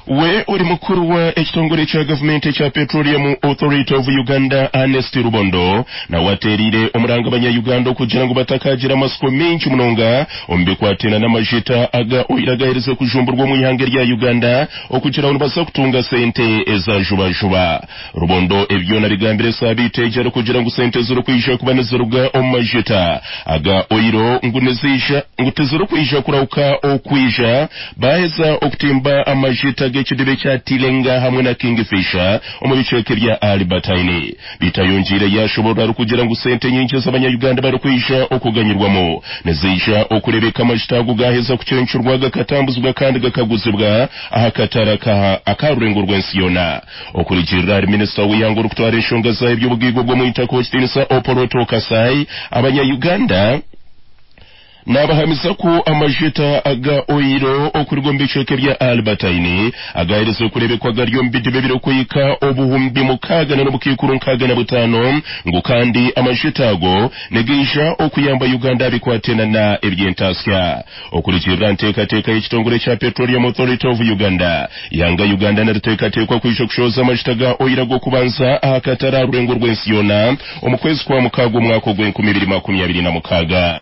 We ori mukuru wa ekitongore kya gavumenti ekya Petroleum Authority of Uganda, Ernest Rubondo, nawe ateereire omuranga abanya-Uganda okugira ngu batakagira amasiko mingi munonga omu bikwatena n'amajita aga oil agaherize kujumburwa omu ihanga erya Uganda okugira ngu nibaza kutunga sente eza juba-juba. Rubondo ebi byona bigambire esaabiiti egi arikugira ngu sente ezirikwija kuba niziruga omu majita aga oiro ngu niziija ngu tizirikwija kurahuka okwija baaheza okutimba amajita g'ekidiba ekya Tilenga hamwe na Kingfisher omu bicweka ebya Albertine. Beitu ayongiire yaashoboorora arikugira ngu sente nyingi ezi abanya-Uganda barikwija okuganyirwamu niziija okureebeka amajita ago gaaheza kucencurwa gakatambuzibwa kandi gakaguzibwa aha katare aka rurengo rw'ensi yoona. Okurugiirira ahari minisita w'eihanga orikutwara enshonga za eby'obugaiga obw'omwitaka Owekitiinisa Opolot Okasai, abanya-Uganda Naabahamiza ku amajita aga oiro okuruga omu bicweka ebya Albertine agaaherize kureebekwa gari omu bidiba ebirikuhika 6000 n'obukaikuru 65 ngu kandi amajita ago nigaija okuyamba Uganda aha bikwatena na eby'entaasya. Okurugiirira aha nteekateeka y'ekitongore kya Petroleum Authority of Uganda, eihanga Uganda niriteekateekwa kwija kushohoza amajita ga oiro ag'okubanza aha katare aha rurengo rw'ensi yoona omu kwezi kwa mukaaga omwaka ogw'enkumi ibiri makumi abiri na mukaaga.